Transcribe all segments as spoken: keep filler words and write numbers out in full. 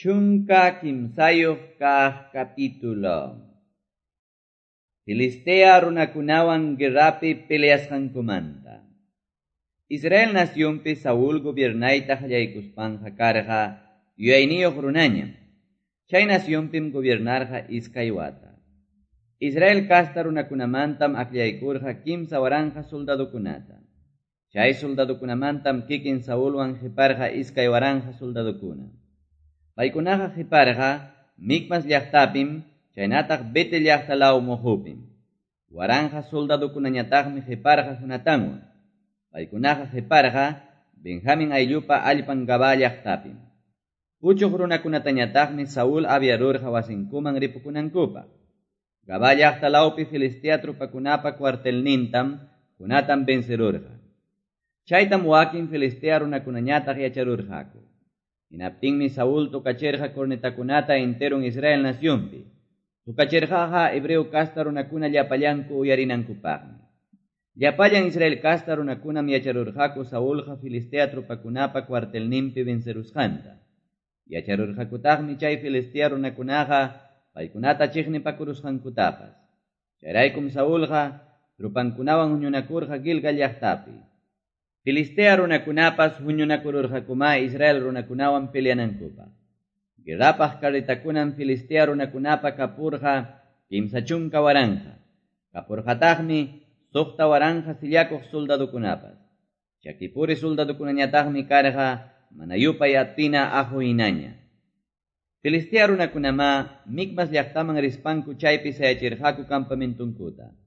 Chunka kimsayuq kaq capítulo. Filistea runakunawan guerrapi peleasqankumanta. Israel nacionpi Saúl gobiernayta qallaykuspanqa karqa yuyayniyuq runañam. Chay nacionpim gobiernarqa iskay wata. Israel kasta runakunamantam akllaykurqa kimsa waranqa soldadokunata. Chay soldadokunamantam kikin Saulwan qiparqa iskay waranqa soldadokuna. Paykunaqa qiparqa Micmas llaqtapim, chaynataq Betel llaqta law muhupim. Waranqa soldadokunañataqmi qiparqa Jonatanwan. Paykunaqa qiparqa Benjamin ayllupa allpan Gabaa llaqtapim. Puchuq runakunatañataqmi Saúl aviarurqa wasinkuman ripukunankupaq. Gabaa llaqta lawpi Filistea trupakunapa cuartelnintam Jonatan vencerurqa. Chaytam wakin Filistea runakunañataq yacharurqaku. Hinaptinmi Saúl tukachirqa cornetakunata enteron Israel nacionpi. Tukachirqaqa hebreo kasta runakuna llapallanku uyarinankupaqmi. Llapallan Israel kasta runakunam yacharurqaku Saulqa Filistea trupakunapa cuartelninpi vencerusqanta. Yacharurqakutaqmi chay Filistea runakunaqa paykunata chiqnipakurusqankutapas. Chayraykum Saulqa trupankunawan huñunakurqa Gilgal llaqtapi. Filistea runakunapas huñunakururqakuma Israel runakunawan peleanankupaq. Guerrapaq carretakunam Filistea runakunapa kapurqa kimsa chunka waranqa. Kapurqataqmi suqta waranqa sillakuq soldadokunapas. Chakipuri soldadokunañataqmi karqa mana yupay atina aju hinaña. Filistea runakunamá Micmas llaqtaman rispanku chaypi sayachirqaku campamentunkuta.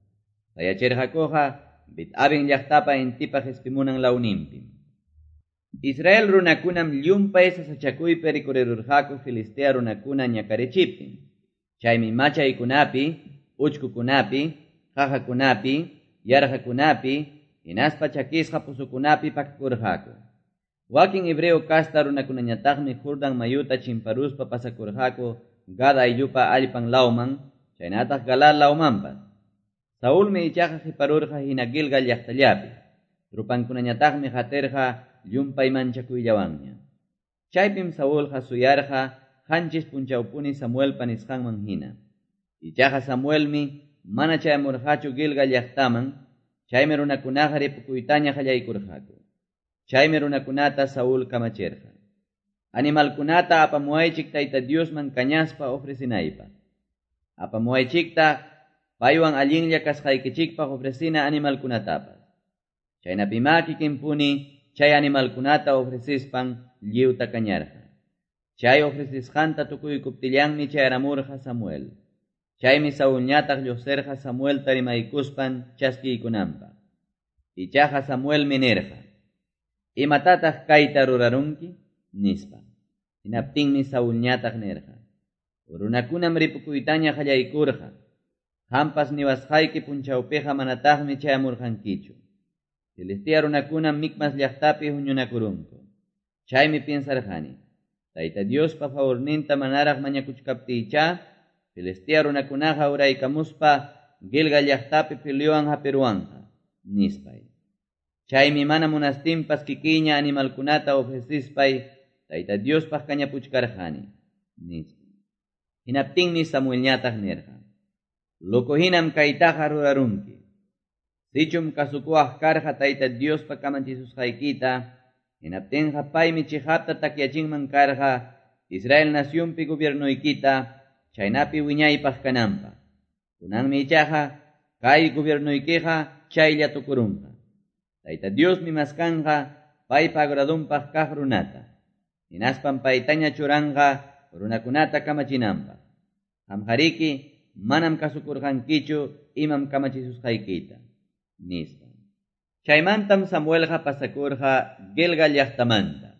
Sayachirqakuqa Bet-Aven llaqtapa intipa qespimunan lawninpim. Israel runakunam llumpay sasachakuypi rikurirurqaku Filistea runakuna ñakarichiptin. Chaymi machaykunapi, uchkukunapi, qaqakunapi, yarqakunapi, hinaspa chakisqa pusukunapi pakakurqaku. Wakin hebreo kasta runakunañataqmi Jordan mayuta chimparuspa pasakurqaku Gad ayllupa allpan lawman, chaynataq Galaad lawmanpas. Saulmi ichaqa qiparurqa hina Gilgal llaqtallapi. Trupankunañataqmi qatirqa llumpay manchakuyllawanña. Chaypim Saulqa suyarqa qanchis punchawpuni Samuelpa nisqanman hina. Ichaqa Samuelmi mana chayamurqachu Gilgal llaqtaman, chaymi runakunaqa ripukuytaña qallaykurqaku. Chaymi runakunata Saúl kamachirqa. Animalkunata apamuwaychik Tayta Diosman kañaspa ofrecinaypaq. Apamuwaychikta paywan allinlla kasqaykichikpaq ofrecina animalkunatapas. Chaynapimá kikinpuni chay animalkunata ofrecispan lliwta kañarqa. Chay ofrecisqanta tukuykuptillanmi chayaramurqa Samuel. Chaymi Saulñataq lluqsirqa Samuelta rimaykuspan chaskiykunanpaq. Ichaqa Samuelmi nirqa: ¿Imatataq kayta rurarunki? Nispa. Hinaptinmi Saulñataq nirqa: Runakunam ripukuytaña qallaykurqa. Qampas niwasqayki punchawpiqa manataqmi chayamurqankichu. Filistea runakunam Micmas llaqtapi huñunakurunku. Chaymi piensarqani, Tayta Diospa favorninta manaraq mañakuchkaptiycha, Filistea runakunaqa uraykamuspa Gilgal llaqtapi peleowan hapiruwanqa, nispay. Chaymi mana munastinpas kikiña animalkunata ofrecispay Tayta Diospaq kañapuchkarqani, nispa. Hinaptinmi Samuelñataq nirqa: Loco hinam kaytaqa rurarunki. Sichum kasukuwaq karqa Tayta Diospa kamachisusqaykita, hinaptinqa paymi chiqapta takyachinman karqa Israel nacionpi gobiernoykita, chaynapi wiñaypaq kananpaq. Kunanmi ichaqa kay gobiernoykiqa chaylla tukurunqa. Tayta Diosmi maskanqa paypa agradunpaq kaq runata. Hinaspan paytaña churanqa runakunata kamachinanpaq. Qamqariki manam kasukurqankichu imam kamachisusqaykita, nispa. Chaymantam Samuelqa pasakurqa Gilgal llaqtamanta.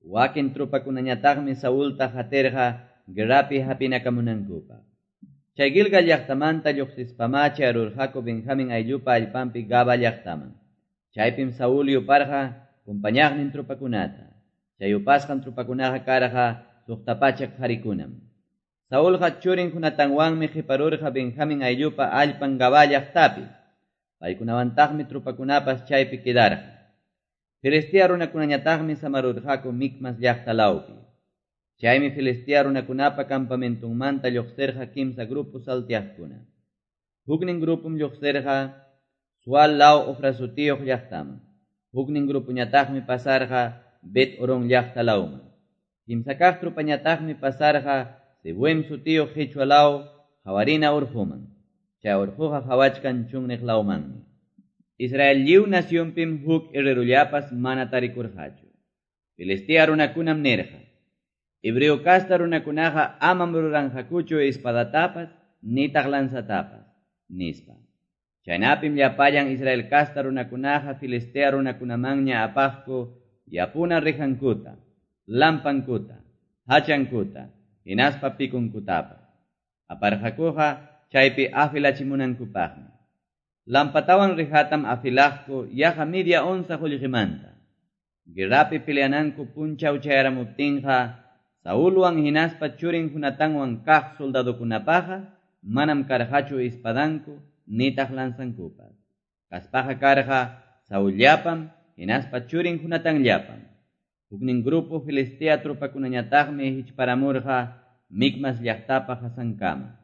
Wakin trupakunañataqmi Saulta qatirqa guerrapi hapinakamunankupaq. Chay Gilgal llaqtamanta lluqsispamá chayarurqaku Benjamin ayllupa allpanpi Gabaa llaqtaman. Chaypim Saúl yuparqa kumpañaqnin trupakunata. Chay yupasqan trupakunaqa karqa suqta pachak qharikunam. Saulqa churin Jonatanwanmi qiparurqa Benjamin ayllupa allpan Gabaa llaqtapi. Paykunawantaqmi trupakunapas chaypi quedarqa. Filistea runakunañataqmi samarurqaku Micmas llaqta lawpi. Chaymi Filistea runakunapa campamentonmanta lluqsirqa kimsa grupo salteaqkuna. Huknin grupom lluqsirqa Sual law Ofra sutiyuq llaqtaman. Huknin grupoñataqmi pasarqa Bet Horon llaqta lawman. Kimsa kaq tropañataqmi pasarqa Seboim sutiyuq qichwa law Hawarina urquman. Chay urquqa qawachkan chunniq lawmanmi. Israel lliw nacionpim huk herrerullapas mana tarikurqachu. Filistea runakunam nirqa: Hebreo casta runakunaqa amam ruranqakuchu espadatapas nitaq lanzatapas, nispa. Chaynapim llapallan Israel casta runakunaqa Filistea runakunamanña apaqku yapuna rijankuta, lampankuta, hachankuta, hinaspa pikunkutapas. Aparqakuqa chaypi afilachimunankupaqmi. Lampatawan rijatam afilaqku yaqa media onza qullqimanta. Guerrapi peleananku punchaw chayaramuptinqa Saulwan hinaspa churin Jonatanwan kaq soldadokunapaqa manam karqachu espadanku nitaq lanzankupas. Kaspaqa karqa Saullapam hinaspa churin Jonatanllapam. Huknin grupo Filistea tropakunañataqmi hichparamurqa Micmas llaqtapa hasankama.